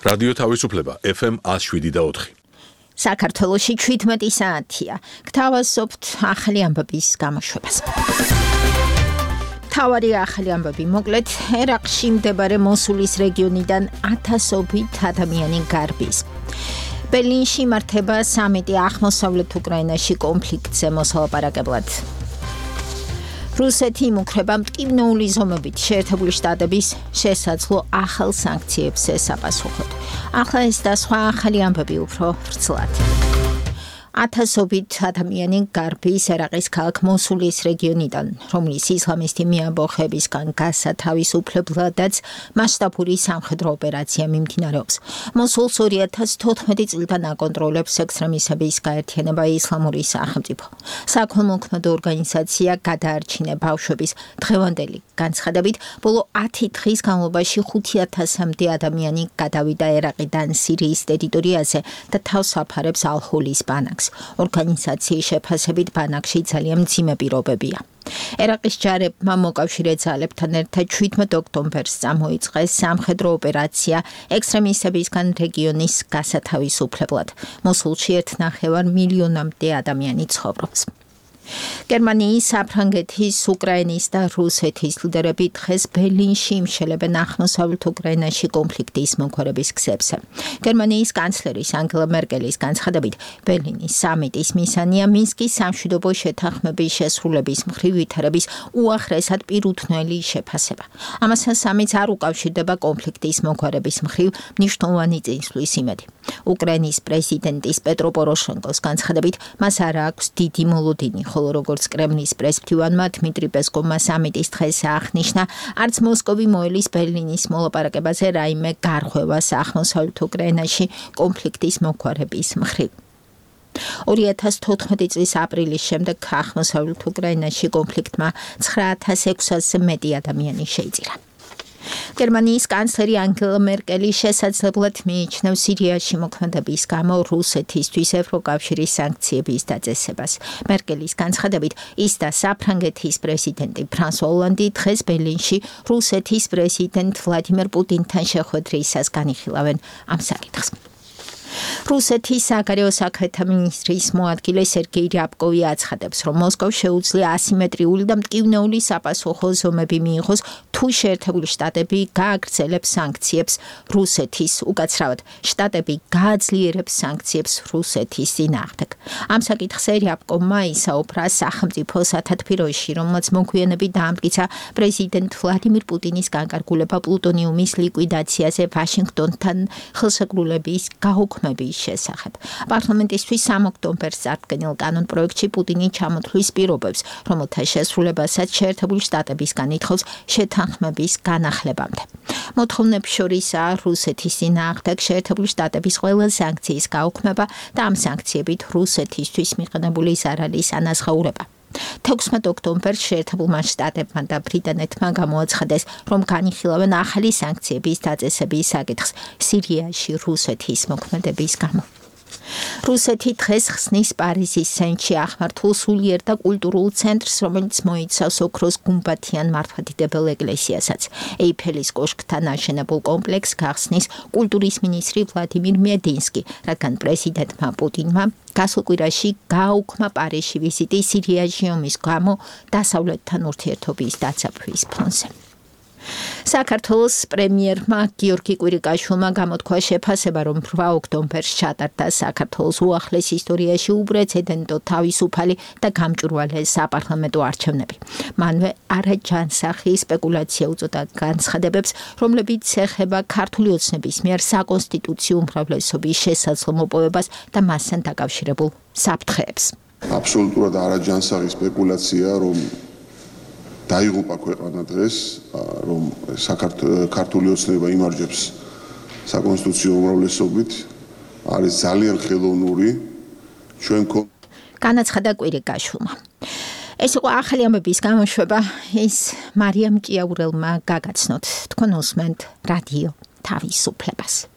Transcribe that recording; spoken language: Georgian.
რადიო თავისუფლება FM 107.4. საქართველოში 17 საათია. გთავაზობთ ახალი ამბების გამოშვებას. თავარი ახალი ამბები მოკლედ, ერაყში მდებარე მოსულის რეგიონიდან 1000-ობით ადამიანი გარბის. ბერლინში იმართება სამიტი აღმოსავლეთ უკრაინაში კონფლიქტზე მოსალაპარაკებლად. რუსეთი იმუქრება მტკივნეული ზომებით შეერთებული შტატების შესაძლო ახალ სანქციებს ესაპასუხოთ. ახლა ეს და სხვა ახალი ამბები უფრო ვრცლად. 1000-ობით ადამიანი გარბის ერაყის ქალაქ მოსულის რეგიონიდან, რომლის ისლამისტი მიამბოხებისგან გასათავისუფლებლადაც მასშტაბური სამხედრო ოპერაცია მიმდინარეობს. მოსულს 2014 წლიდან აკონტროლებს ექსტრემისტების გაერთიანება ისლამური სახელმწიფო. საქველმოქმედო ორგანიზაცია გადაარჩინა ბავშვების დღევანდელი განცხადებით, ბოლო 10 დღის განმავლობაში 5000-მდე ადამიანი გადავიდა ერაყიდან სირიის ტერიტორიაზე და თავს აფარებს ალ-ჰოლის ბანაკს. ორგანიზაციის შეფასებით ბანაკში ძალიან მძიმე პირობებია. ერაყის ჯარებმა მოკავშირე ძალებთან ერთად 17 ოქტომბერს წამოიწყეს სამხედრო ოპერაცია ექსტრემისტებისგან რეგიონის გასათავისუფლებლად. მოსულში 1,5 მილიონამდე ადამიანი ცხოვრობს. გერმანიის, საფრანგეთის, უკრაინის და რუსეთის ლიდერები დღეს ბერლინში იმშელებენ აღმოსავლეთ უკრაინაში კონფლიქტის მომხმარების გზებზე. გერმანიის კანცლერის ანგელა მერკელის განცხადებით, ბერლინის სამიტის მისანია მინსკის სამშვიდობო შეთანხმების შესრულების მხრივ ვითარების უახლესად პირუთვნელი შეფასება. ამასთან სამიტს არ უკავშირდება კონფლიქტის მომხმარების მხრივ მნიშვნელოვანი წინსვლის იმედი. უკრაინის პრეზიდენტის პეტრო პოროშენკოს განცხადებით, მას არ აქვს დიდი მოლოდინი, ხოლო როგორც კრემლის პრესმფრთოვანმა დმიტრი პესკოვმა სამიტის დღეს აღნიშნა, არც მოსკოვი მოელის ბერლინის მოლაპარაკებაზე რაიმე გარღვევას აღმოსავლეთ უკრაინაში კონფლიქტის მომხმარების მხრივ. 2014 წლის აპრილის შემდეგ აღმოსავლეთ უკრაინაში კონფლიქტმა 9600-ზე მეტი ადამიანი შეიწირა. გერმანიის კანცლერი ანგელა მერკელი შესაძლებლად მიიჩნევს სირიაში მოქმედების გამო რუსეთისთვის ევროკავშირის სანქციების დაწესებას. მერკელის განცხადებით, ის და საფრანგეთის პრეზიდენტი ფრანსუა ოლანდი დღეს ბერლინში რუსეთის პრეზიდენტ ვლადიმერ პუტინთან შეხვედრისას განიხილავენ ამ საკითხს. რუსეთის საგარეო საქმეთა მინისტრის მოადგილე სერგეი რიაბკოვი აცხადებს, რომ მოსკოვს შეუძლია ასიმეტრიული და მტკივნეული საპასუხო ზომები მიიღოს, თუ შეერთებული შტატები გააგრძელებს სანქციებს რუსეთის, უკაცრავად, შტატები გააძლიერებს სანქციებს რუსეთის წინააღმდეგ. ამ საკითხზე რიაბკოვმა ისაუბრა სახელმწიფო სათათბიროში, რომელმაც მოგვიანებით დაამტკიცა პრეზიდენტ ვლადიმირ პუტინის განკარგულება პლუტონიუმის ლიკვიდაციაზე ვაშინგტონთან ხელშეკრულების გაუქმების შესახებ. პარლამენტისთვის 3 ოქტომბერს წარდგენილ კანონპროექტში პუტინი ჩამოთვლის პირობებს, რომელთა შესრულებასაც შეერთებული შტატებისგან ითხოვს შეთანხმების განახლებამდე. მოთხოვნებს შორისაა რუსეთის წინააღმდეგ შეერთებული შტატების ყველა სანქციის გაუქმება და ამ სანქციებით რუსეთისთვის მიყენებული ზარალის ანაზღაურება. 16 ოქტომბერს შეერთებულმა შტატებმა და ბრიტანეთმა გამოაცხადეს, რომ განიხილავენ ახალი სანქციების დაწესების საკითხს სირიაში რუსეთის მოქმედების გამო. რუსეთი დღეს ხსნის პარიზის სენში აღმართულ სულიერ და კულტურულ ცენტრს, რომელიც მოიცავს ოქროს გუმბათიან მართლმადიდებელ ეკლესიასაც. ეიფელის კოშკთან აშენებულ კომპლექსს გახსნის კულტურის მინისტრი ვლადიმირ მედინსკი, რადგან პრეზიდენტმა პუტინმა გასულ კვირაში გააუქმა პარიზში ვიზიტი სირიაში ომის გამო დასავლეთთან ურთიერთობის დაცავების ფონზე. საქართველოს პრემიერმა გიორგი კვირიკაშვილმა გამოთქვა შეფასება, რომ 8 ოქტომბერს ჩატარდა საქართველოს უახლეს ისტორიაში უპრეცედენტო თავისუფალი და გამჭვირვალე საპარლამენტო არჩევნები. მანვე არაჯანსაღი სპეკულაცია უწოდა განცხადებებს, რომლებიც ეხება ქართული ოცნების მიერ საკონსტიტუციო უმრავლესობის შესაძლო მოპოვებას და მასთან დაკავშირებულ საფრთხეებს. აბსოლუტურად არაჯანსაღი სპეკულაცია, რომ დაიღუპა ქვეყანა დღეს, რომ ქართული ოცნება იმარჯვებს საკონსტიტუციო უმრავლესობით, არის ძალიან ხელოვნური. ჩვენ განაცხადა კვირიკაშვილმა. ეს იყო ახალი ამბების გამოშვება, ის მარიამ ჭიაურელმა გაგაცნოთ. თქვენ უსმენთ რადიო თავისუფლებას.